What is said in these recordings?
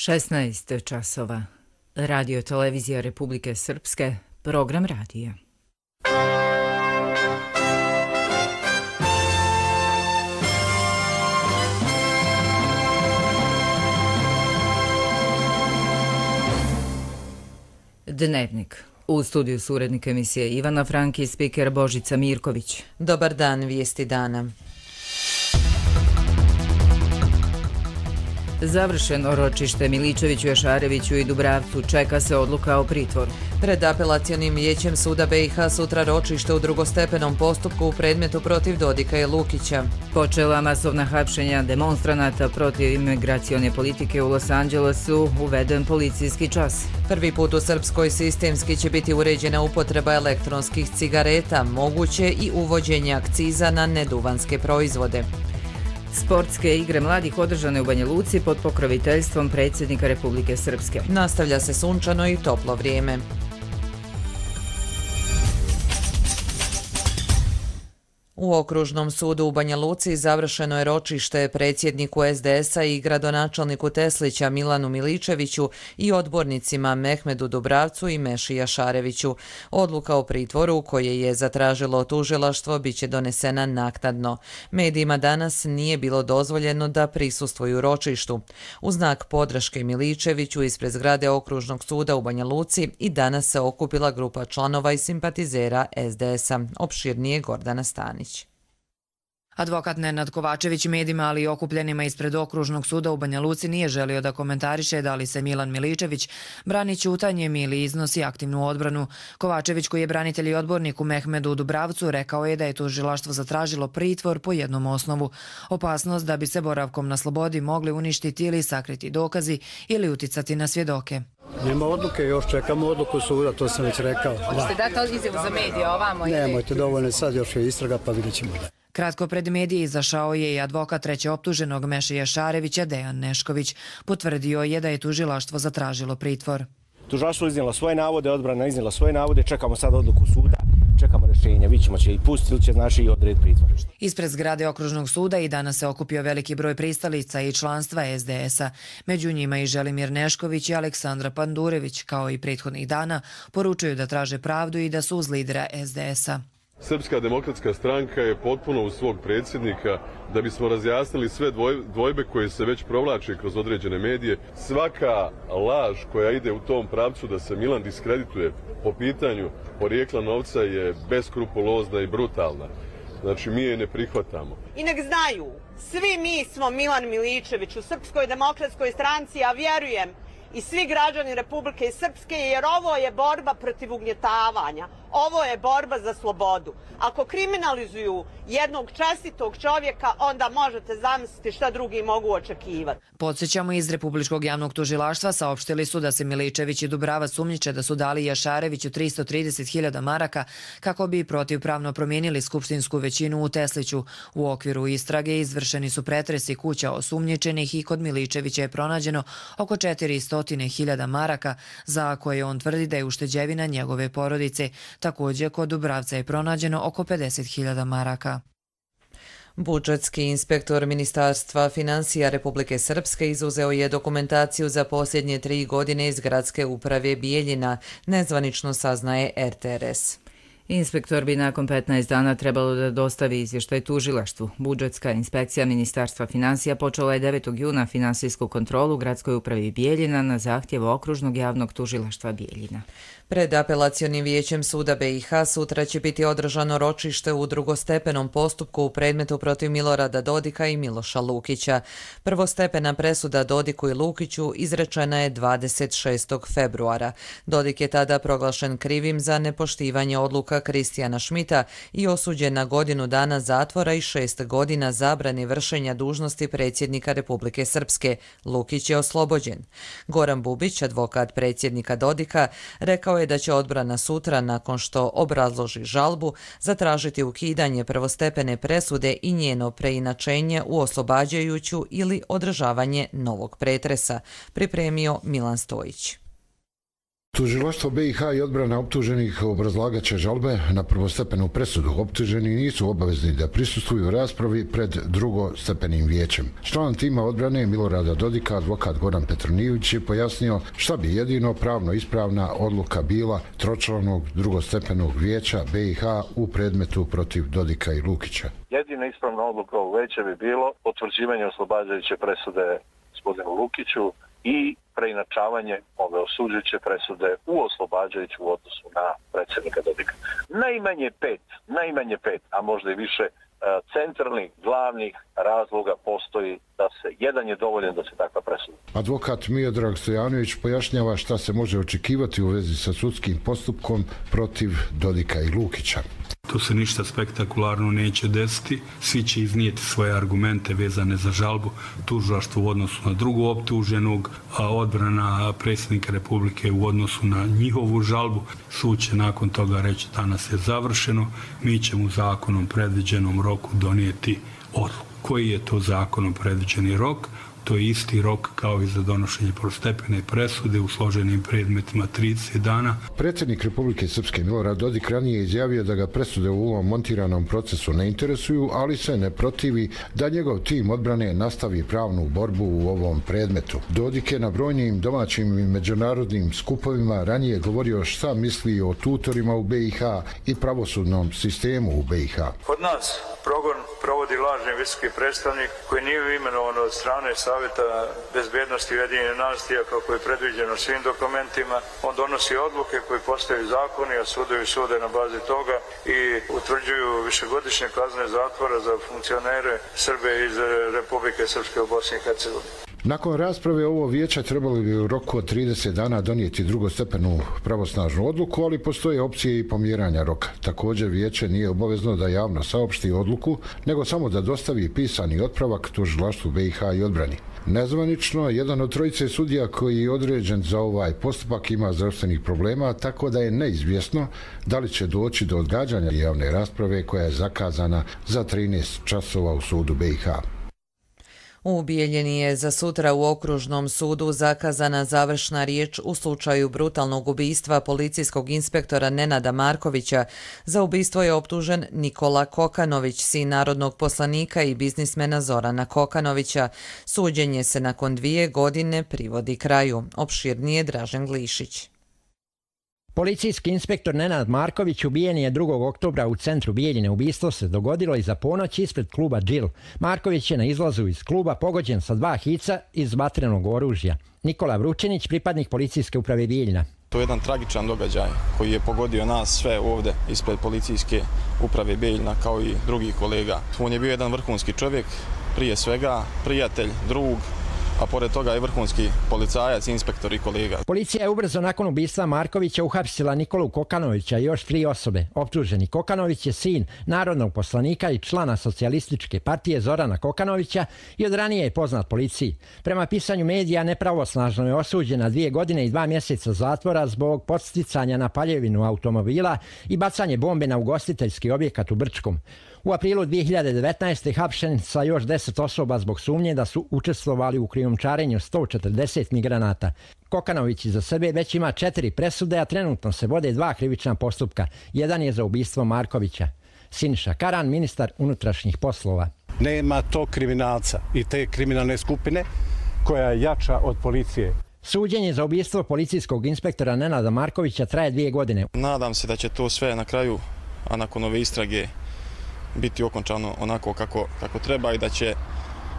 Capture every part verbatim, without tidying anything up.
šesnaest časova. Radio televizija Republike Srpske, program radija. Dnevnik. U studiju su urednik emisije Ivana Frank i spiker Božica Mirković. Dobar dan, vijesti dana. Završeno ročište Miličeviću, Jašareviću i Dubravcu, čeka se odluka o pritvoru. Pred apelacionim vijećem suda B i H sutra ročište u drugostepenom postupku u predmetu protiv Dodika i Lukića. Počela masovna hapšenja demonstranata protiv imigracione politike u Los Angelesu, uveden policijski čas. Prvi put u Srpskoj sistemski će biti uređena upotreba elektronskih cigareta, moguće i uvođenje akciza na neduvanske proizvode. Sportske igre mladih održane u Banja Luci pod pokroviteljstvom predsjednika Republike Srpske. Nastavlja se sunčano i toplo vrijeme. U Okružnom sudu u Banja Luci završeno je ročište predsjedniku es de es a i gradonačelniku Teslića Milanu Miličeviću i odbornicima Mehmedu Dubravcu i Meši Jašareviću. Odluka o pritvoru koje je zatražilo tužilaštvo biće donesena naknadno. Medijima danas nije bilo dozvoljeno da prisustvuju ročištu. U znak podrške Miličeviću ispred zgrade Okružnog suda u Banja Luci i danas se okupila grupa članova i simpatizera es de es a. Opširnije Gordana Stanić. Advokat Nenad Kovačević medijima, ali i okupljenima ispred Okružnog suda u Banja Luci nije želio da komentariše da li se Milan Miličević brani ćutanjem ili iznosi aktivnu odbranu. Kovačević, koji je branitelj i odbornik u Mehmedu Dubravcu, rekao je da je tužilaštvo zatražilo pritvor po jednom osnovu. Opasnost da bi se boravkom na slobodi mogli uništiti ili sakriti dokazi ili uticati na svjedoke. Nema odluke, još čekamo odluku suda, to sam već rekao. Hoćete dati izjavu za medije ovamo? Nemojte, dovoljno sad, još je istraga, pa vidjet ćemo da. Kratko pred medije izašao je i advokat treće optuženog Meše Jašarevića, Dejan Nešković. Potvrdio je da je tužilaštvo zatražilo pritvor. Tužilaštvo iznijelo svoje navode, odbrana iznijela svoje navode, čekamo sad odluku suda, čekamo rješenje, vidjet ćemo će i pustiti ili će znači i odrediti pritvor. Ispred zgrade Okružnog suda i danas se okupio veliki broj pristalica i članstva es de es a. Među njima i Želimir Nešković i Aleksandra Pandurević, kao i prethodnih dana, poručuju da traže pravdu i da su uz lidera es de es a. Srpska demokratska stranka je potpuno uz svog predsjednika da bismo razjasnili sve dvojbe koje se već provlače kroz određene medije. Svaka laž koja ide u tom pravcu da se Milan diskredituje po pitanju porijekla novca je beskrupulozna i brutalna. Znači, mi je ne prihvatamo. I nek znaju, svi mi smo Milan Miličević u Srpskoj demokratskoj stranci, a vjerujem i svi građani Republike Srpske, jer ovo je borba protiv ugnjetavanja. Ovo je borba za slobodu. Ako kriminalizuju jednog čestitog čovjeka, onda možete zamisliti šta drugi mogu očekivati. Podsjećamo, iz Republičkog javnog tužilaštva saopštili su da se Miličević i Dubravac sumnjiče da su dali Jašareviću tristo trideset hiljada maraka kako bi protivpravno promijenili skupštinsku većinu u Tesliću. U okviru istrage izvršeni su pretresi kuća osumnjičenih i kod Miličevića je pronađeno oko četiristo hiljada maraka, za koje on tvrdi da je ušteđevina njegove porodice. Također, kod Dubravca je pronađeno oko pedeset hiljada maraka. Budžetski inspektor Ministarstva financija Republike Srpske izuzeo je dokumentaciju za posljednje tri godine iz gradske uprave Bijeljina, nezvanično saznaje er te er es. Inspektor bi nakon petnaest dana trebalo da dostavi izvještaj tužilaštvu. Budžetska inspekcija Ministarstva financija počela je devetog juna finansijsku kontrolu u gradskoj upravi Bijeljina na zahtjev Okružnog javnog tužilaštva Bijeljina. Pred apelacionim vijećem suda B i H sutra će biti održano ročište u drugostepenom postupku u predmetu protiv Milorada Dodika i Miloša Lukića. Prvostepena presuda Dodiku i Lukiću izrečena je dvadeset šestog februara. Dodik je tada proglašen krivim za nepoštivanje odluka Kristijana Šmita i osuđen na godinu dana zatvora i šest godina zabrane vršenja dužnosti predsjednika Republike Srpske. Lukić je oslobođen. Goran Bubić, advokat predsjednika Dodika, rekao je da će odbrana sutra, nakon što obrazloži žalbu, zatražiti ukidanje prvostepene presude i njeno preinačenje u oslobađajuću ili održavanje novog pretresa, pripremio Milan Stojić. Tužilaštvo B i H i odbrana optuženih obrazlagat će žalbe na prvostepenu presudu. Optuženi nisu obavezni da prisustvuju raspravi pred drugostepenim vijećem. Član tima odbrane Milorada Dodika, advokat Goran Petronijević, je pojasnio šta bi jedino pravno ispravna odluka bila tročlanog drugostepenog vijeća B i H u predmetu protiv Dodika i Lukića. Jedina ispravna odluka ovog vijeća bi bilo potvrđivanje oslobađajuće presude gospodinu Lukiću i preinačavanje ove osuđujuće presude u oslobađajuću u odnosu na predsjednika Dodika. Najmanje pet, najmanje pet, a možda i više centralnih, glavnih razloga postoji da se, jedan je dovoljan da se takva presuda. Advokat Miodrag Stojanović pojašnjava šta se može očekivati u vezi sa sudskim postupkom protiv Dodika i Lukića. Tu se ništa spektakularno neće desiti, svi će iznijeti svoje argumente vezane za žalbu tužilaštva u odnosu na drugu optuženog, a odbrana predsjednika Republike u odnosu na njihovu žalbu. Sud će nakon toga reći danas je završeno, mi ćemo u zakonom predviđenom roku donijeti odluku. Koji je to zakonom predviđeni rok? To je isti rok kao i za donošenje prvostepene presude u složenim predmetima trideset dana. Predsjednik Republike Srpske Milorad Dodik ranije izjavio da ga presude u ovom montiranom procesu ne interesuju, ali se ne protivi da njegov tim odbrane nastavi pravnu borbu u ovom predmetu. Dodik je na brojnim domaćim i međunarodnim skupovima ranije govorio šta misli o tutorima u B i H i pravosudnom sistemu u B i H. Kod nas progon provodi lažni visoki predstavnik koji nije imenovan od strane Savjeta bezbjednosti Ujedinjenih nacija kako je predviđeno svim dokumentima. On donosi odluke koje postaju zakoni, a sudovi sude na bazi toga i utvrđuju višegodišnje kazne zatvora za funkcionere Srbe iz Republike Srpske u Bosni i Hercegovini. Nakon rasprave ovo vijeće trebali bi u roku od trideset dana donijeti drugostepenu pravosnažnu odluku, ali postoje opcije i pomjeranja roka. Također vijeće nije obavezno da javno saopšti odluku, nego samo da dostavi pisani otpravak tužilaštvu B i H i odbrani. Nezvanično, jedan od trojice sudija koji je određen za ovaj postupak ima zdravstvenih problema, tako da je neizvjesno da li će doći do odgađanja javne rasprave koja je zakazana za trinaest časova u sudu B i H. U Bijeljini je za sutra u Okružnom sudu zakazana završna riječ u slučaju brutalnog ubistva policijskog inspektora Nenada Markovića. Za ubistvo je optužen Nikola Kokanović, sin narodnog poslanika i biznismena Zorana Kokanovića. Suđenje se nakon dvije godine privodi kraju. Opširnije Dražen Glišić. Policijski inspektor Nenad Marković ubijen je drugog oktobra u centru Bijeljine. Ubistvo se dogodilo iza ponoć ispred kluba Džil. Marković je na izlazu iz kluba pogođen sa dva hica iz vatrenog oružja. Nikola Vručenić, pripadnik policijske uprave Bijeljina. To je jedan tragičan događaj koji je pogodio nas sve ovdje ispred policijske uprave Bijeljina kao i drugih kolega. On je bio jedan vrhunski čovjek, prije svega prijatelj, drug, a pored toga je vrhunski policajac, inspektor i kolega. Policija je ubrzo nakon ubistva Markovića uhapsila Nikolu Kokanovića i još tri osobe. Optuženi Kokanović je sin narodnog poslanika i člana socijalističke partije Zorana Kokanovića i od ranije je poznat policiji. Prema pisanju medija nepravosnažno je osuđen na dvije godine i dva mjeseca zatvora zbog podsticanja na paljevinu automobila i bacanje bombe na ugostiteljski objekat u Brčkom. U aprilu dvije hiljade devetnaeste. hapšen sa još deset osoba zbog sumnje da su učestvovali u krijumčarenju sto četrdeset migranata. Kokanović iza sebe već ima četiri presude, a trenutno se vode dva krivična postupka. Jedan je za ubistvo Markovića. Siniša Karan, ministar unutrašnjih poslova. Nema tog kriminalca i te kriminalne skupine koja je jača od policije. Suđenje za ubistvo policijskog inspektora Nenada Markovića traje dvije godine. Nadam se da će to sve na kraju, a nakon ove istrage, biti okončano onako kako, kako treba i da će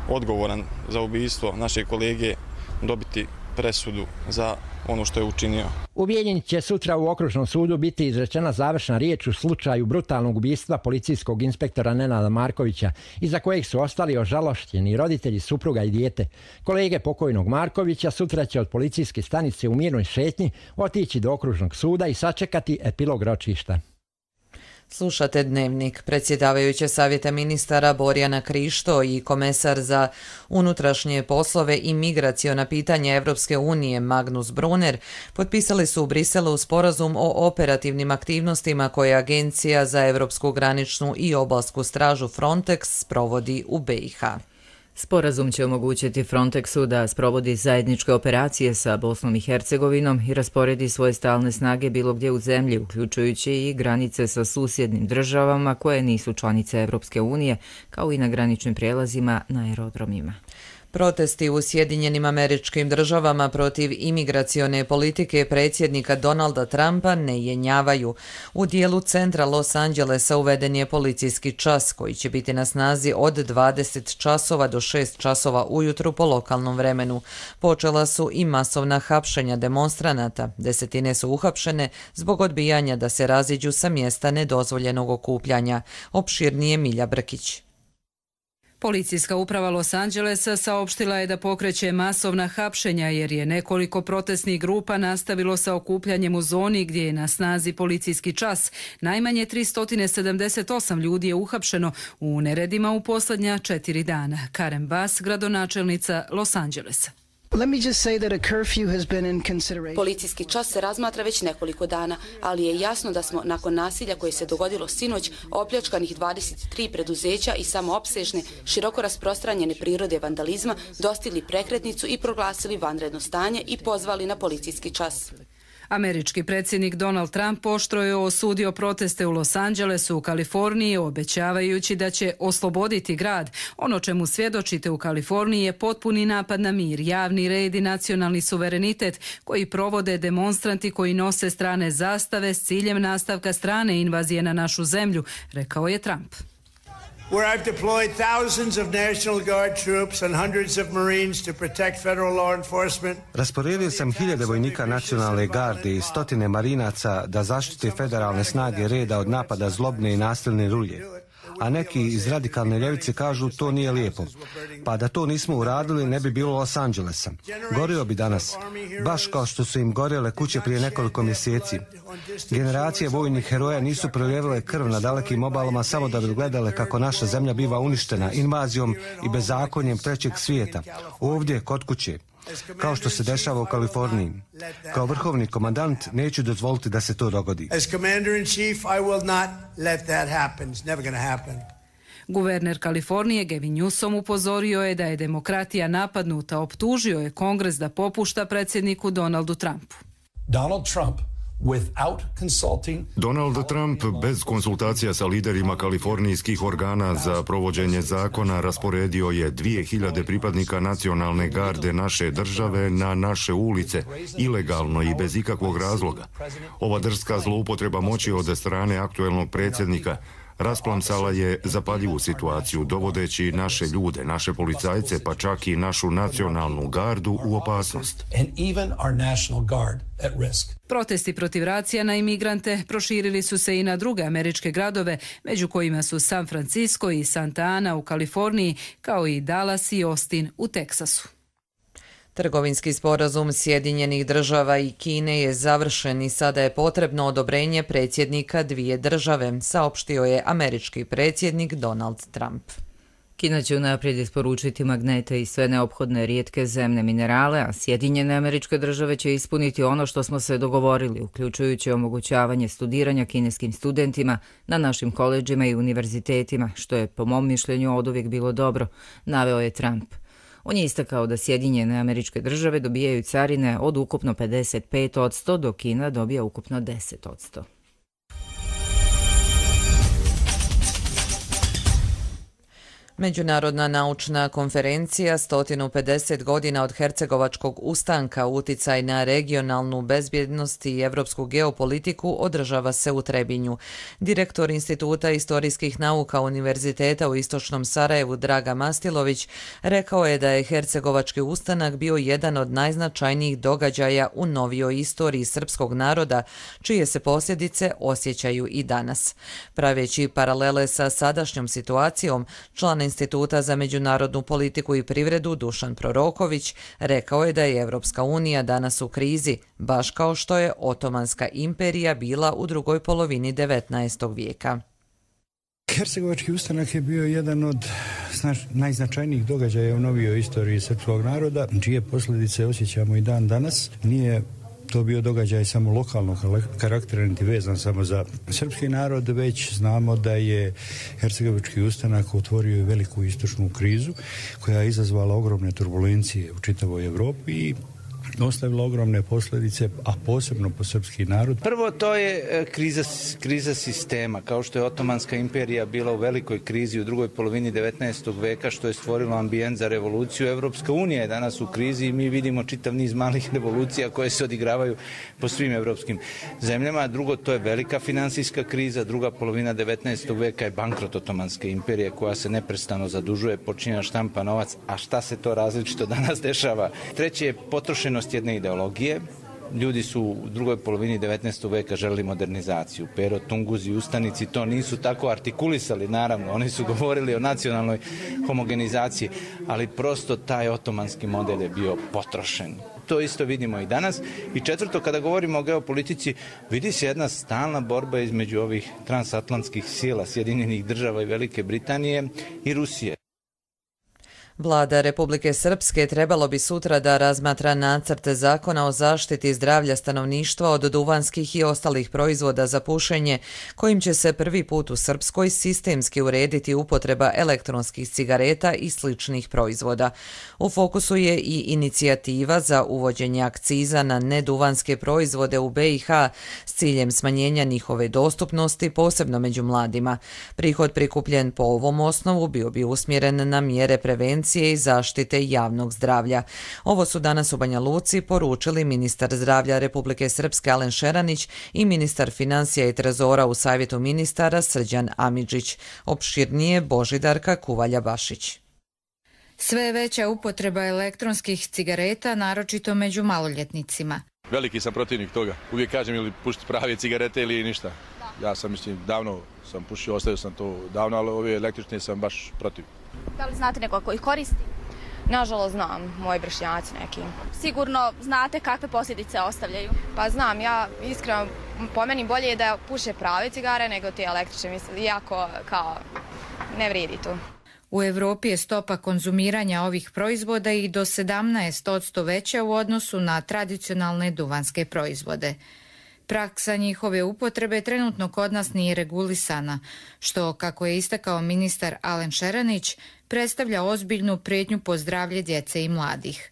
odgovoran za ubistvo naše kolege dobiti presudu za ono što je učinio. U Bijeljini će sutra u Okružnom sudu biti izrečena završna riječ u slučaju brutalnog ubistva policijskog inspektora Nenada Markovića, iza kojeg su ostali ožalošćeni roditelji, supruga i dijete. Kolege pokojnog Markovića sutra će od policijske stanice u mirnoj šetnji otići do Okružnog suda i sačekati epilog ročišta. Slušate Dnevnik. Predsjedavajuće savjeta ministara Borjana Krišto i komesar za unutrašnje poslove i migraciona pitanja Evropske unije Magnus Brunner potpisali su u Briselu sporazum o operativnim aktivnostima koje Agencija za Evropsku graničnu i obalsku stražu Frontex provodi u B i H. Sporazum će omogućiti Frontexu da sprovodi zajedničke operacije sa Bosnom i Hercegovinom i rasporedi svoje stalne snage bilo gdje u zemlji, uključujući i granice sa susjednim državama koje nisu članice Evropske unije, kao i na graničnim prijelazima na aerodromima. Protesti u Sjedinjenim Američkim Državama protiv imigracione politike predsjednika Donalda Trumpa ne jenjavaju. U dijelu centra Los Angelesa uveden je policijski čas koji će biti na snazi od dvadeset časova do šest časova ujutru po lokalnom vremenu. Počela su i masovna hapšenja demonstranata. Desetine su uhapšene zbog odbijanja da se raziđu sa mjesta nedozvoljenog okupljanja. Opširnije Milja Brkić. Policijska uprava Los Angelesa saopštila je da pokreće masovna hapšenja jer je nekoliko protestnih grupa nastavilo sa okupljanjem u zoni gdje je na snazi policijski čas. Najmanje tristo sedamdeset osam ljudi je uhapšeno u neredima u posljednja četiri dana. Karen Bass, gradonačelnica Los Angelesa. Policijski čas se razmatra već nekoliko dana, ali je jasno da smo nakon nasilja koje se dogodilo sinoć, opljačkanih dvadeset tri preduzeća i samoopsežne, široko rasprostranjene prirode vandalizma, dostigli prekretnicu i proglasili vanredno stanje i pozvali na policijski čas. Američki predsjednik Donald Trump oštro je osudio proteste u Los Angelesu u Kaliforniji, obećavajući da će osloboditi grad. Ono čemu svjedočite u Kaliforniji je potpuni napad na mir, javni red i nacionalni suverenitet koji provode demonstranti koji nose strane zastave s ciljem nastavka strane invazije na našu zemlju, rekao je Trump. Where I've deployed thousands of National Guard troops and hundreds of Marines to protect federal law enforcement. Rasporedio sam hiljade vojnika nacionalne garde i stotine marinaca da zaštite federalne snage reda od napada zlobne i nasilne rulje. A neki iz radikalne ljevice kažu to nije lijepo. Pa da to nismo uradili ne bi bilo Los Angelesa. Gorio bi danas, baš kao što su im gorjele kuće prije nekoliko mjeseci. Generacije vojnih heroja nisu proljevile krv na dalekim obalama samo da bi gledale kako naša zemlja biva uništena invazijom i bezakonjem trećeg svijeta. Ovdje, kod kuće. Kao što se dešava u Kaliforniji. Kao vrhovni komandant neću dozvoliti da se to dogodi. Guverner Kalifornije Gavin Newsom upozorio je da je demokratija napadnuta, optužio je Kongres da popušta predsjedniku Donaldu Trumpu. Donald Trump Donald Trump bez konsultacija sa liderima kalifornijskih organa za provođenje zakona rasporedio je dvije hiljade pripadnika nacionalne garde naše države na naše ulice, ilegalno i bez ikakvog razloga. Ova drska zloupotreba moći od strane aktuelnog predsjednika rasplamsala je zapaljivu situaciju, dovodeći naše ljude, naše policajce, pa čak i našu nacionalnu gardu u opasnost. Protesti protiv racija na imigrante proširili su se i na druge američke gradove, među kojima su San Francisco i Santa Ana u Kaliforniji, kao i Dallas i Austin u Teksasu. Trgovinski sporazum Sjedinjenih država i Kine je završen i sada je potrebno odobrenje predsjednika dvije države, saopštio je američki predsjednik Donald Trump. Kina će unaprijed isporučiti magnete i sve neophodne rijetke zemne minerale, a Sjedinjene Američke Države će ispuniti ono što smo se dogovorili, uključujući omogućavanje studiranja kineskim studentima na našim koledžima i univerzitetima, što je po mom mišljenju oduvijek bilo dobro, naveo je Trump. On je istakao da Sjedinjene Američke Države dobijaju carine od ukupno pedeset pet posto, dok Kina dobija ukupno deset posto. Međunarodna naučna konferencija sto pedeset godina od Hercegovačkog ustanka, uticaj na regionalnu bezbjednost i evropsku geopolitiku održava se u Trebinju. Direktor Instituta istorijskih nauka Univerziteta u Istočnom Sarajevu Draga Mastilović rekao je da je Hercegovački ustanak bio jedan od najznačajnijih događaja u novijoj istoriji srpskog naroda, čije se posljedice osjećaju i danas. Praveći paralele sa sadašnjom situacijom, član Instituta za međunarodnu politiku i privredu Dušan Proroković rekao je da je Evropska unija danas u krizi, baš kao što je Otomanska imperija bila u drugoj polovini devetnaestog vijeka. Hercegovački ustanak je bio jedan od najznačajnijih događaja u novijoj istoriji srpskog naroda, čije posljedice osjećamo i dan danas. Nije to bio događaj samo lokalnog karaktera, niti vezan samo za srpski narod, već znamo da je Hercegovački ustanak otvorio i veliku istočnu krizu koja je izazvala ogromne turbulencije u čitavoj Evropi i ostavila ogromne posljedice, a posebno po srpski narod. Prvo, to je kriza, kriza sistema, kao što je Otomanska imperija bila u velikoj krizi u drugoj polovini devetnaestog veka, što je stvorilo ambijent za revoluciju. Evropska unija je danas u krizi i mi vidimo čitav niz malih revolucija koje se odigravaju po svim evropskim zemljama. Drugo, to je velika finansijska kriza. Druga polovina devetnaestog veka je bankrot Otomanske imperije koja se neprestano zadužuje, počinje štampa novac, a šta se to različito danas dešava? Treće je potrošenost jedne ideologije. Ljudi su u drugoj polovini devetnaestog veka želeli modernizaciju. Pero, Tunguzi i Ustanici to nisu tako artikulisali, naravno. Oni su govorili o nacionalnoj homogenizaciji, ali prosto taj otomanski model je bio potrošen. To isto vidimo i danas. I četvrto, kada govorimo o geopolitici, vidi se jedna stalna borba između ovih transatlantskih sila, Sjedinjenih država i Velike Britanije i Rusije. Vlada Republike Srpske trebalo bi sutra da razmatra nacrt zakona o zaštiti zdravlja stanovništva od duvanskih i ostalih proizvoda za pušenje, kojim će se prvi put u Srpskoj sistemski urediti upotreba elektronskih cigareta i sličnih proizvoda. U fokusu je i inicijativa za uvođenje akciza na neduvanske proizvode u B i H s ciljem smanjenja njihove dostupnosti, posebno među mladima. Prihod prikupljen po ovom osnovu bio bi usmjeren na mjere prevencije i zaštite javnog zdravlja. Ovo su danas u Banja Luci poručili ministar zdravlja Republike Srpske Alen Šeranić i ministar financija i trezora u Savjetu ministara Srđan Amidžić. Opširnije Božidarka Kuvalja-Bašić. Sve je veća upotreba elektronskih cigareta, naročito među maloljetnicima. Veliki sam protivnik toga. Uvijek kažem ili pušiti prave cigarete ili ništa. Ja sam, mislim, davno sam pušio, ostavio sam to davno, ali ove električne sam baš protiv. Da li znate nekoga koji koristi? Nažalost znam, moji vršnjaci neki. Sigurno znate kakve posljedice ostavljaju? Pa znam, ja iskreno po meni bolje je da puše prave cigare nego te električne, mislim, iako kao ne vredi to. U Evropi je stopa konzumiranja ovih proizvoda i do sedamnaest posto veća u odnosu na tradicionalne duvanske proizvode. Praksa njihove upotrebe trenutno kod nas nije regulisana, što, kako je istakao ministar Alen Šeranić, predstavlja ozbiljnu prijetnju po zdravlje djece i mladih.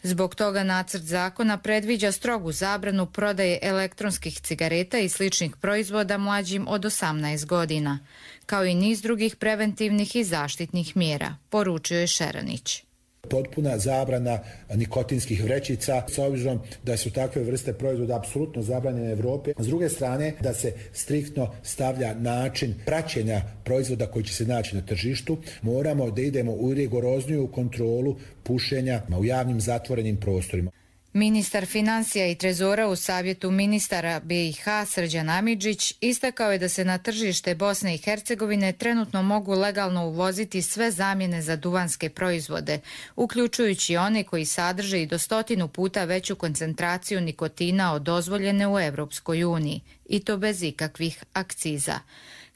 Zbog toga nacrt zakona predviđa strogu zabranu prodaje elektronskih cigareta i sličnih proizvoda mlađim od osamnaest godina, kao i niz drugih preventivnih i zaštitnih mjera, poručio je Šeranić. Potpuna zabrana nikotinskih vrećica, s obzirom da su takve vrste proizvoda apsolutno zabranjene u Evropi. S druge strane, da se striktno stavlja način praćenja proizvoda koji će se naći na tržištu. Moramo da idemo u rigorozniju kontrolu pušenja u javnim zatvorenim prostorima. Ministar financija i trezora u Savjetu ministara B i H Srđan Amidžić istakao je da se na tržište Bosne i Hercegovine trenutno mogu legalno uvoziti sve zamjene za duvanske proizvode, uključujući one koji sadrže i do stotinu puta veću koncentraciju nikotina od dozvoljene u Evropskoj uniji, i to bez ikakvih akciza.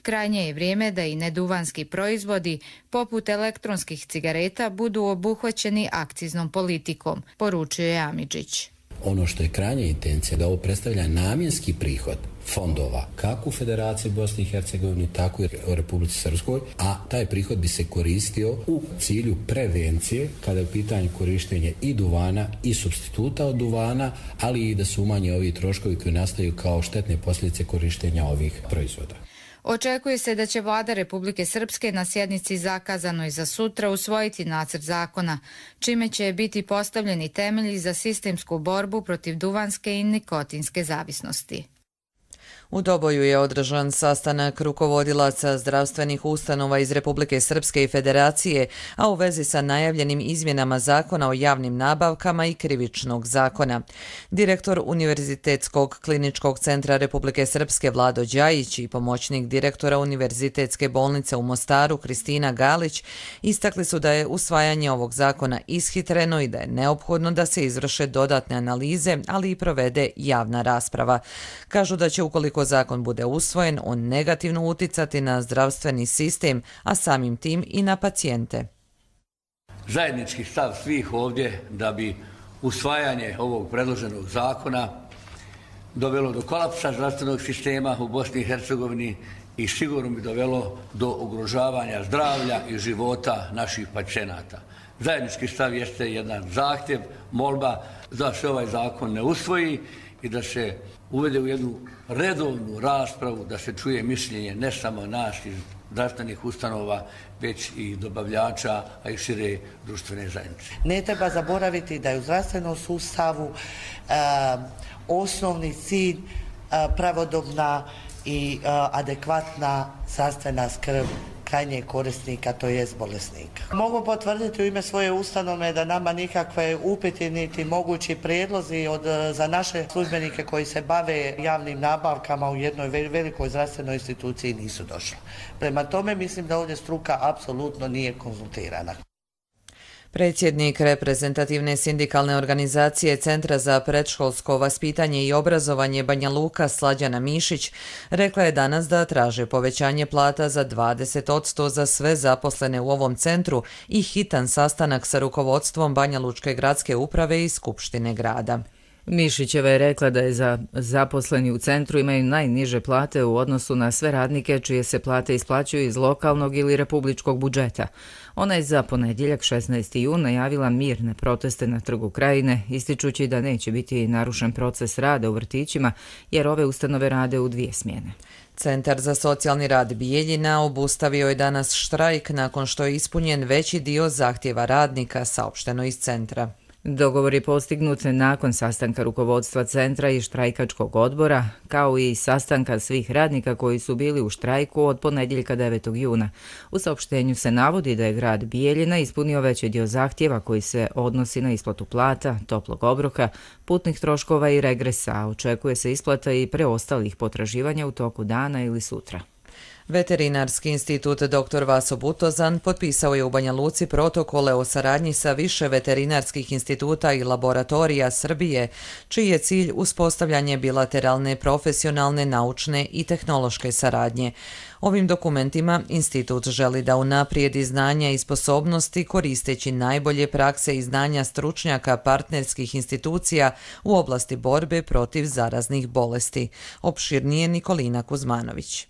Krajnje je vrijeme da i neduvanski proizvodi, poput elektronskih cigareta, budu obuhvaćeni akciznom politikom, poručio je Amidžić. Ono što je krajnja intencija da ovo predstavlja namjenski prihod fondova kako u Federaciji Bosne i Hercegovine, tako i u Republici Srpskoj, a taj prihod bi se koristio u cilju prevencije kada je u pitanju korištenje i duvana i supstituta od duvana, ali i da se umanje ovi troškovi koji nastaju kao štetne posljedice korištenja ovih proizvoda. Očekuje se da će vlada Republike Srpske na sjednici zakazanoj za sutra usvojiti nacrt zakona, čime će biti postavljeni temelji za sistemsku borbu protiv duvanske i nikotinske zavisnosti. U Doboju je održan sastanak rukovodilaca zdravstvenih ustanova iz Republike Srpske i Federacije, a u vezi sa najavljenim izmjenama zakona o javnim nabavkama i krivičnog zakona. Direktor Univerzitetskog kliničkog centra Republike Srpske Vlado Đajić i pomoćnik direktora Univerzitetske bolnice u Mostaru Kristina Galić istakli su da je usvajanje ovog zakona ishitreno i da je neophodno da se izvrše dodatne analize, ali i provede javna rasprava. Kažu da će ukoliko zakon bude usvojen, on negativno uticati na zdravstveni sistem, a samim tim i na pacijente. Zajednički stav svih ovdje da bi usvajanje ovog predloženog zakona dovelo do kolapsa zdravstvenog sistema u Bosni i Hercegovini i sigurno bi dovelo do ugrožavanja zdravlja i života naših pacijenata. Zajednički stav jeste jedan zahtjev, molba da se ovaj zakon ne usvoji i da se uvede u jednu redovnu raspravu, da se čuje mišljenje ne samo nas iz zdravstvenih ustanova, već i dobavljača, a i šire društvene zajednice. Ne treba zaboraviti da je u zdravstvenom sustavu e, osnovni cilj e, pravodobna i e, adekvatna zdravstvena skrb krajnjeg korisnika, to jest bolesnika. Mogu potvrditi u ime svoje ustanove da nama nikakve upiti niti mogući prijedlozi od, za naše službenike koji se bave javnim nabavkama u jednoj velikoj zdravstvenoj instituciji nisu došli. Prema tome mislim da ovdje struka apsolutno nije konzultirana. Predsjednik reprezentativne sindikalne organizacije Centra za predškolsko vaspitanje i obrazovanje Banja Luka Slađana Mišić rekla je danas da traže povećanje plata za dvadeset posto za sve zaposlene u ovom centru i hitan sastanak sa rukovodstvom Banja Lučke gradske uprave i Skupštine grada. Mišićeva je rekla da je za zaposleni u centru imaju najniže plate u odnosu na sve radnike čije se plate isplaćuju iz lokalnog ili republičkog budžeta. Ona je za ponedjeljak šesnaesti jun najavila mirne proteste na Trgu Krajine, ističući da neće biti narušen proces rada u vrtićima jer ove ustanove rade u dvije smjene. Centar za socijalni rad Bijeljina obustavio je danas štrajk nakon što je ispunjen veći dio zahtjeva radnika, saopšteno iz centra. Dogovor je postignut nakon sastanka rukovodstva centra i štrajkačkog odbora, kao i sastanka svih radnika koji su bili u štrajku od ponedjeljka devetog juna. U saopštenju se navodi da je grad Bijeljina ispunio veći dio zahtjeva koji se odnosi na isplatu plata, toplog obroka, putnih troškova i regresa, a očekuje se isplata i preostalih potraživanja u toku dana ili sutra. Veterinarski institut doktor Vaso Butozan potpisao je u Banja Luci protokole o saradnji sa više veterinarskih instituta i laboratorija Srbije, čiji je cilj uspostavljanje bilateralne, profesionalne, naučne i tehnološke saradnje. Ovim dokumentima institut želi da unaprijedi znanja i sposobnosti koristeći najbolje prakse i znanja stručnjaka partnerskih institucija u oblasti borbe protiv zaraznih bolesti. Opširnije Nikolina Kuzmanović.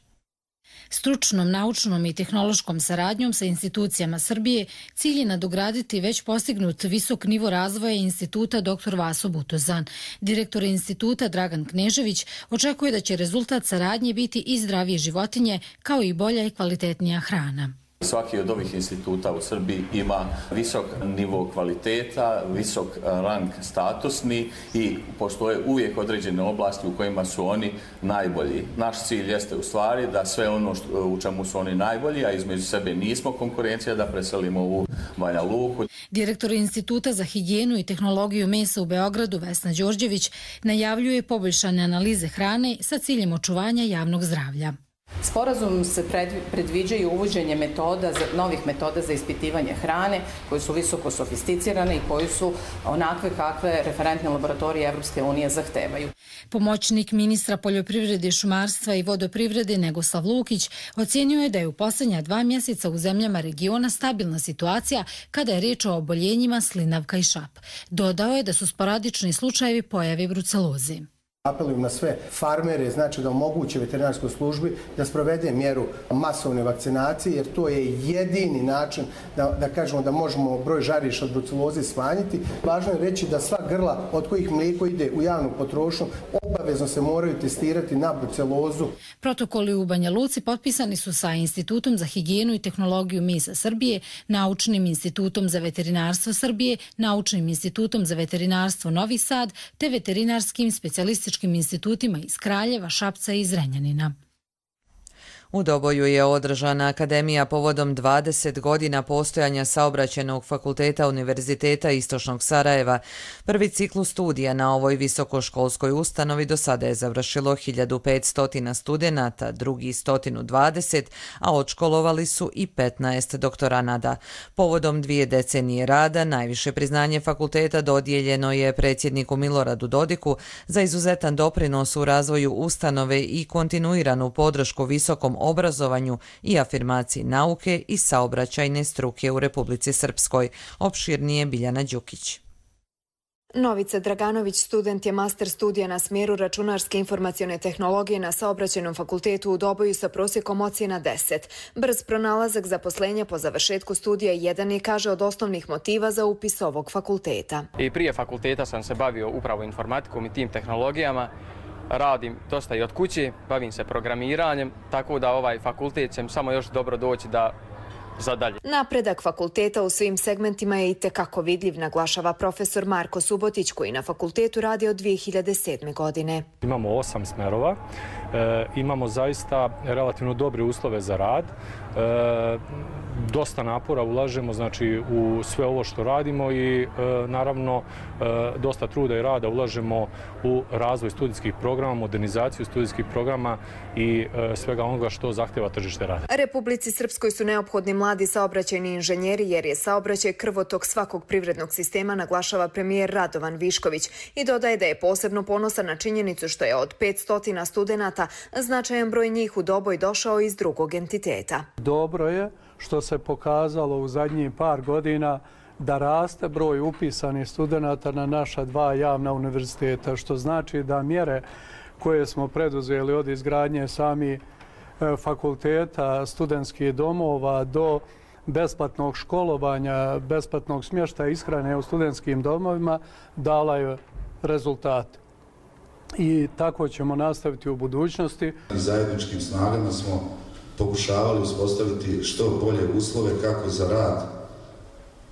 Stručnom, naučnom i tehnološkom saradnjom sa institucijama Srbije cilj je nadograditi već postignut visok nivo razvoja instituta doktor Vaso Butozan. Direktor instituta Dragan Knežević očekuje da će rezultat saradnje biti i zdravije životinje, kao i bolja i kvalitetnija hrana. Svaki od ovih instituta u Srbiji ima visok nivo kvaliteta, visok rang statusni i postoje uvijek određene oblasti u kojima su oni najbolji. Naš cilj jeste u stvari da sve ono što, u čemu su oni najbolji, a između sebe nismo konkurencija, da preselimo u Banja Luku. Direktor Instituta za higijenu i tehnologiju mesa u Beogradu Vesna Đorđević najavljuje poboljšane analize hrane sa ciljem očuvanja javnog zdravlja. Sporazum se predviđaju uvođenje metoda, novih metoda za ispitivanje hrane koje su visoko sofisticirane i koje su onakve kakve referentne laboratorije Evropske unije zahtevaju. Pomoćnik ministra poljoprivrede, šumarstva i vodoprivrede Negoslav Lukić ocjenio je da je u posljednja dva mjeseca u zemljama regiona stabilna situacija kada je riječ o oboljenjima slinavka i šap. Dodao je da su sporadični slučajevi pojave bruceloze. Apelujem na sve farmere, znači da omoguće veterinarskoj službi da sprovede mjeru masovne vakcinacije, jer to je jedini način da, da kažemo da možemo broj žariša od bruceloze smanjiti. Važno je reći da sva grla od kojih mlijeko ide u javnu potrošnju obavezno se moraju testirati na brucelozu. Protokoli u Banja Luci potpisani su sa Institutom za higijenu i tehnologiju mesa Srbije, Naučnim institutom za veterinarstvo Srbije, Naučnim institutom za veterinarstvo Novi Sad te veterinarskim specijalističkim institutima iz Kraljeva, Šapca i Zrenjanina. U Doboju je održana akademija povodom dvadeset godina postojanja Saobraćajnog fakulteta Univerziteta Istočnog Sarajeva. Prvi ciklus studija na ovoj visokoškolskoj ustanovi do sada je završilo hiljadu petsto studenata, drugi sto dvadeset, a odškolovali su i petnaest doktoranada. Povodom dvije decenije rada najviše priznanje fakulteta dodijeljeno je predsjedniku Miloradu Dodiku za izuzetan doprinos u razvoju ustanove i kontinuiranu podršku visokom obrazovanju i afirmaciji nauke i saobraćajne struke u Republici Srpskoj. Opširnije Biljana Đukić. Novica Draganović student je master studija na smjeru računarske informacione tehnologije na Saobraćajnom fakultetu u Doboju sa prosjekom ocjena deset. Brz pronalazak zaposlenja po završetku studija jedan je, kaže, od osnovnih motiva za upis ovog fakulteta. I prije fakulteta sam se bavio upravo informatikom i tim tehnologijama. Radim dosta i od kuće, bavim se programiranjem, tako da ovaj fakultet će samo još dobro doći da za dalje. Napredak fakulteta u svim segmentima je itekako vidljiv, naglašava profesor Marko Subotić, koji na fakultetu radi od dvije hiljade sedme. godine. Imamo osam smerova, e, imamo zaista relativno dobre uslove za rad, e, dosta napora ulažemo znači, u sve ovo što radimo i e, naravno e, dosta truda i rada ulažemo u razvoj studijskih programa, modernizaciju studijskih programa i e, svega onoga što zahtjeva tržište rada. Republici Srpskoj su neophodni mladi saobraćajni inženjeri jer je saobraćaj krvotok svakog privrednog sistema, naglašava premijer Radovan Višković i dodaje da je posebno ponosan na činjenicu što je od petsto studenata značajan broj njih u Doboj došao iz drugog entiteta. Dobro je što se pokazalo u zadnjih par godina da raste broj upisanih studenata na naša dva javna univerziteta, što znači da mjere koje smo preduzeli od izgradnje samih fakulteta, studentskih domova do besplatnog školovanja, besplatnog smještaja i ishrane u studentskim domovima dala je rezultat. I tako ćemo nastaviti u budućnosti. Zajedničkim snagama smo pokušavali uspostaviti što bolje uslove kako za rad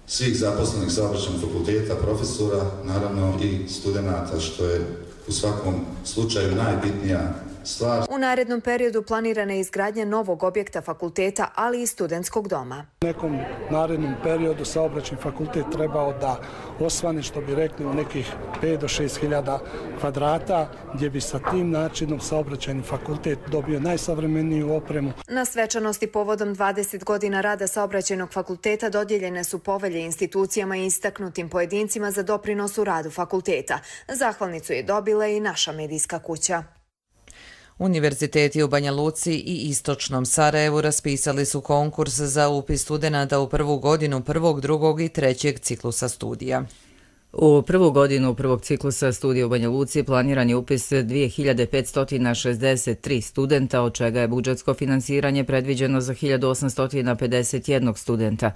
svih zaposlenih saobraćajnog fakulteta, profesora, naravno i studenata, što je u svakom slučaju najbitnija stvar. U narednom periodu planirana je izgradnja novog objekta fakulteta, ali i studentskog doma. U nekom narednom periodu saobraćajni fakultet trebao da osvane, što bi rekli, u nekih pet do šest hiljada kvadrata, gdje bi sa tim načinom saobraćajni fakultet dobio najsavremeniju opremu. Na svečanosti povodom dvadeset godina rada saobraćajnog fakulteta dodijeljene su povelje institucijama i istaknutim pojedincima za doprinos u radu fakulteta. Zahvalnicu je dobila i naša medijska kuća. Univerziteti u Banja Luci i Istočnom Sarajevu raspisali su konkurs za upis studenata u prvu godinu prvog, drugog i trećeg ciklusa studija. U prvu godinu prvog ciklusa studija u Banja Luci planiran je upis dvije hiljade petsto šezdeset tri studenta, od čega je budžetsko finansiranje predviđeno za hiljadu osamsto pedeset jedan studenta.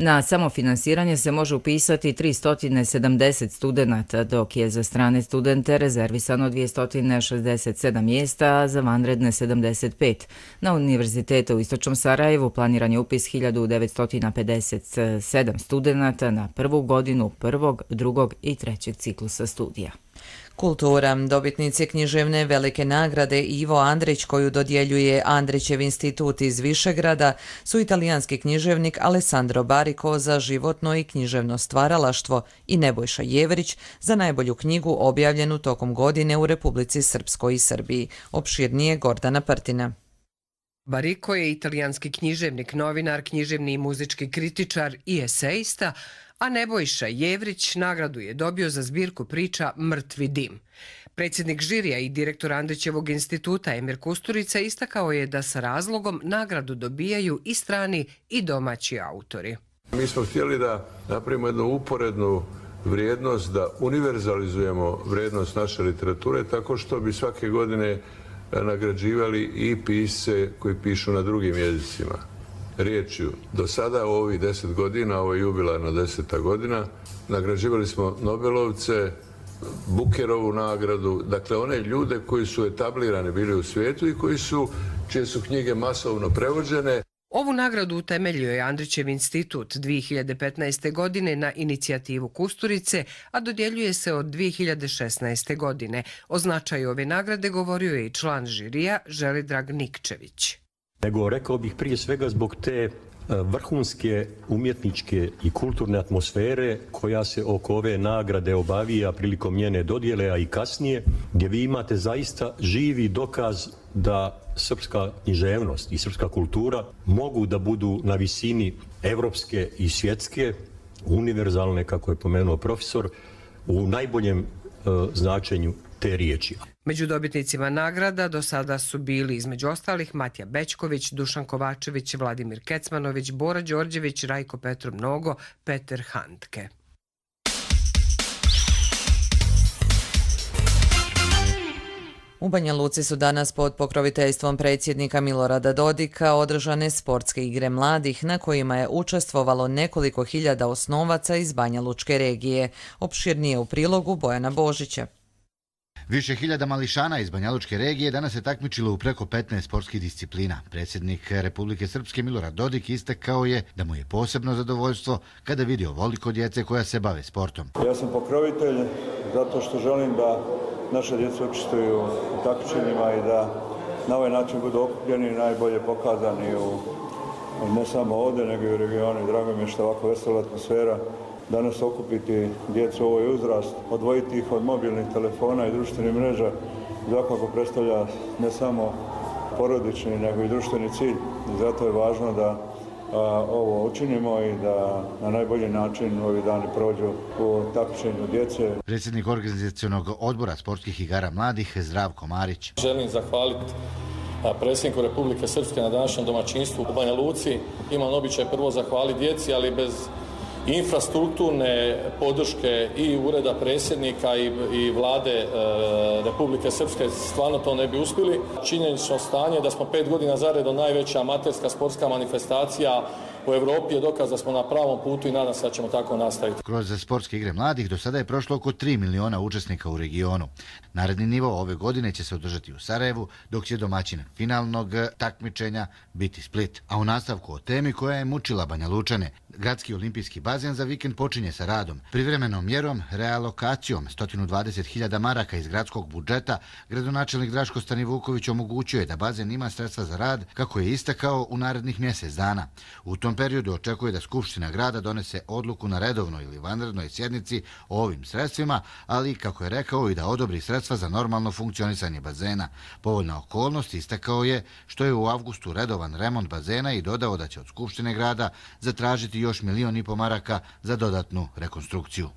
Na samofinansiranje se može upisati tristo sedamdeset studenata, dok je za strane studente rezervisano dvjesto šezdeset sedam mjesta, a za vanredne sedamdeset pet. Na Univerzitetu u Istočnom Sarajevu planiran je upis hiljadu devetsto pedeset sedam studenata na prvu godinu prvog, drugog i trećeg ciklusa studija. Kultura. Dobitnici književne velike nagrade Ivo Andrić, koju dodjeljuje Andrićev institut iz Višegrada, su italijanski književnik Alessandro Barico za životno i književno stvaralaštvo i Nebojša Jevrić za najbolju knjigu objavljenu tokom godine u Republici Srpskoj i Srbiji. Opširnije Gordana Partina. Barico je italijanski književnik, novinar, književni i muzički kritičar i esejista, a Nebojša Jevrić nagradu je dobio za zbirku priča Mrtvi dim. Predsjednik žirija i direktor Andrićevog instituta Emir Kusturica istakao je da sa razlogom nagradu dobijaju i strani i domaći autori. Mi smo htjeli da napravimo jednu uporednu vrijednost, da univerzalizujemo vrijednost naše literature tako što bi svake godine nagrađivali i pisce koji pišu na drugim jezicima. Riječju, do sada u ovih deset godina, ovo je jubilarna deseta godina, nagrađivali smo Nobelovce, Bukerovu nagradu, dakle one ljude koji su etablirani bili u svijetu i koji su, čije su knjige masovno prevođene. Ovu nagradu utemeljio je Andrićev institut dvije hiljade petnaeste. godine na inicijativu Kusturice, a dodjeljuje se od dvije hiljade šesnaeste. godine. O značaju ove nagrade govorio je i član žirija Želidrag Nikčević. Nego rekao bih prije svega zbog te vrhunske umjetničke i kulturne atmosfere koja se oko ove nagrade obavija prilikom njene dodjele, a i kasnije, gdje vi imate zaista živi dokaz da srpska književnost i srpska kultura mogu da budu na visini evropske i svjetske, univerzalne, kako je pomenuo profesor, u najboljem uh, značenju te riječi. Među dobitnicima nagrada do sada su bili između ostalih Matija Bećković, Dušan Kovačević, Vladimir Kecmanović, Bora Đorđević, Rajko Petrov Mnogo, Peter Handke. U Banja Luci su danas pod pokroviteljstvom predsjednika Milorada Dodika održane sportske igre mladih na kojima je učestvovalo nekoliko hiljada osnovaca iz Banja Lučke regije. Opširnije u prilogu Bojana Božića. Više hiljada mališana iz Banja Lučke regije danas se takmičilo u preko petnaest sportskih disciplina. Predsjednik Republike Srpske Milorad Dodik istakao je da mu je posebno zadovoljstvo kada vidi ovoliko djece koja se bave sportom. Ja sam pokrovitelj zato što želim da naše djeca učestvuju u takmičenjima i da na ovaj način budu okupljeni i najbolje pokazani u, ne samo ovdje, nego i u regionu. Drago mi je što ovako vesela atmosfera. Danas okupiti djecu u ovoj uzrast, odvojiti ih od mobilnih telefona i društvenih mreža, svakako predstavlja ne samo porodični, nego i društveni cilj. I zato je važno da a, ovo učinimo i da na najbolji način ovi dani prođu u takmičenju djece. Predsjednik organizacionog odbora sportskih igara mladih Zdravko Marić. Želim zahvaliti predsjedniku Republike Srpske na današnjem domaćinstvu u Banja Luci. Imam običaj prvo zahvaliti djeci, ali bez infrastrukturne podrške i ureda predsjednika i, i vlade e, Republike Srpske stvarno to ne bi uspjeli. Činjenično stanje da smo pet godina zaredom najveća amaterska sportska manifestacija u Evropi je dokaz da smo na pravom putu i nadam se da ćemo tako nastaviti. Kroz sportske igre mladih do sada je prošlo oko tri miliona učesnika u regionu. Naredni nivo ove godine će se održati u Sarajevu, dok će domaćin finalnog takmičenja biti Split. A u nastavku o temi koja je mučila Banja Lučane, gradski olimpijski bazen za vikend počinje sa radom. Privremenom mjerom, realokacijom sto dvadeset hiljada maraka iz gradskog budžeta, gradonačelnik Draško Stanivuković omogućuje da bazen ima sredstva za rad, kako je istakao, u narednih mjesec dana. U tom periodu očekuje da Skupština grada donese odluku na redovnoj ili vanrednoj sjednici o ovim sredstvima, ali, kako je rekao, i da odobri sredstva za normalno funkcionisanje bazena. Povoljna okolnost, istakao je, što je u avgustu redovan remont bazena i dodao da će od Skupštine grada zatražiti još milion i po maraka za dodatnu rekonstrukciju.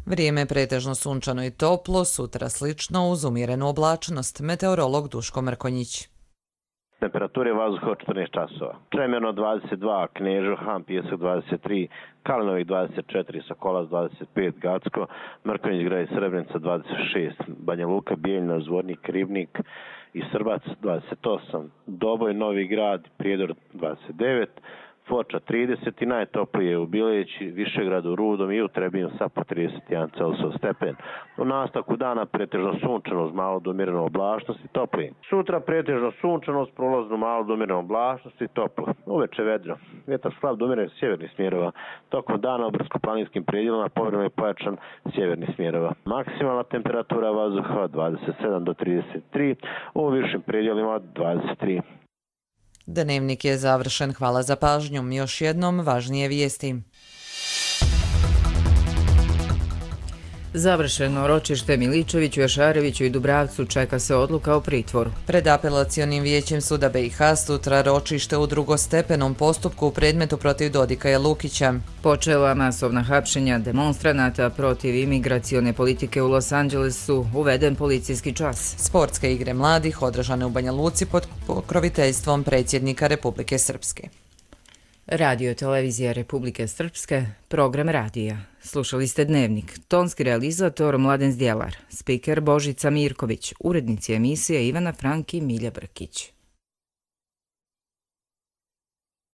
Vrijeme je pretežno sunčano i toplo, sutra slično uz umjerenu oblačnost. Meteorolog Duško Mrkonjić. Temperature vazduha četrnaest časova. Čemerno dvadeset dva, Knežo, Han, Pijesak dvadeset tri, Kalinović dvadeset četiri, Sokolac dvadeset pet, Gacko, Mrkonjić, Grad i Srebrenica dvadeset šest, Banja Luka, Bijeljina, Zvornik, Ribnik i Srbac dvadeset osam, Doboj, Novi Grad, Prijedor dvadeset devet, Foča trideset i najtoplije u Bileći, Višegradu, Rudom i u Trebinju sa po trideset jedan Celsius stepen. U nastavku dana pretežno sunčano uz malo do umjerene oblačnosti i toplije. Sutra pretežno sunčano uz prolaznu malo do umjerene oblačnosti i toplo. Uveče vedro. Vjetar slab do umjerenih sjevernih smjerova. Tokom dana u brdsko-planinskim predjelima povremeno je pojačan sjevernih smjerova. Maksimalna temperatura vazduha dvadeset sedam do trideset tri, u višim predjelima dvadeset tri. Dnevnik je završen. Hvala za pažnju. Još jednom važnije vijesti. Završeno ročište Miličeviću, Jašareviću i Dubravcu, čeka se odluka o pritvoru. Pred apelacionim vijećem suda B i H sutra ročište u drugostepenom postupku u predmetu protiv Dodika i Lukića. Počela masovna hapšenja demonstranata protiv imigracione politike u Los Angelesu, uveden policijski čas. Sportske igre mladih održane u Banja Luci pod pokroviteljstvom predsjednika Republike Srpske. Radio televizija Republike Srpske, program radija. Slušali ste Dnevnik, tonski realizator Mladen Zdjelar, spiker Božica Mirković, urednici emisije Ivana Frank i Milja Brkić.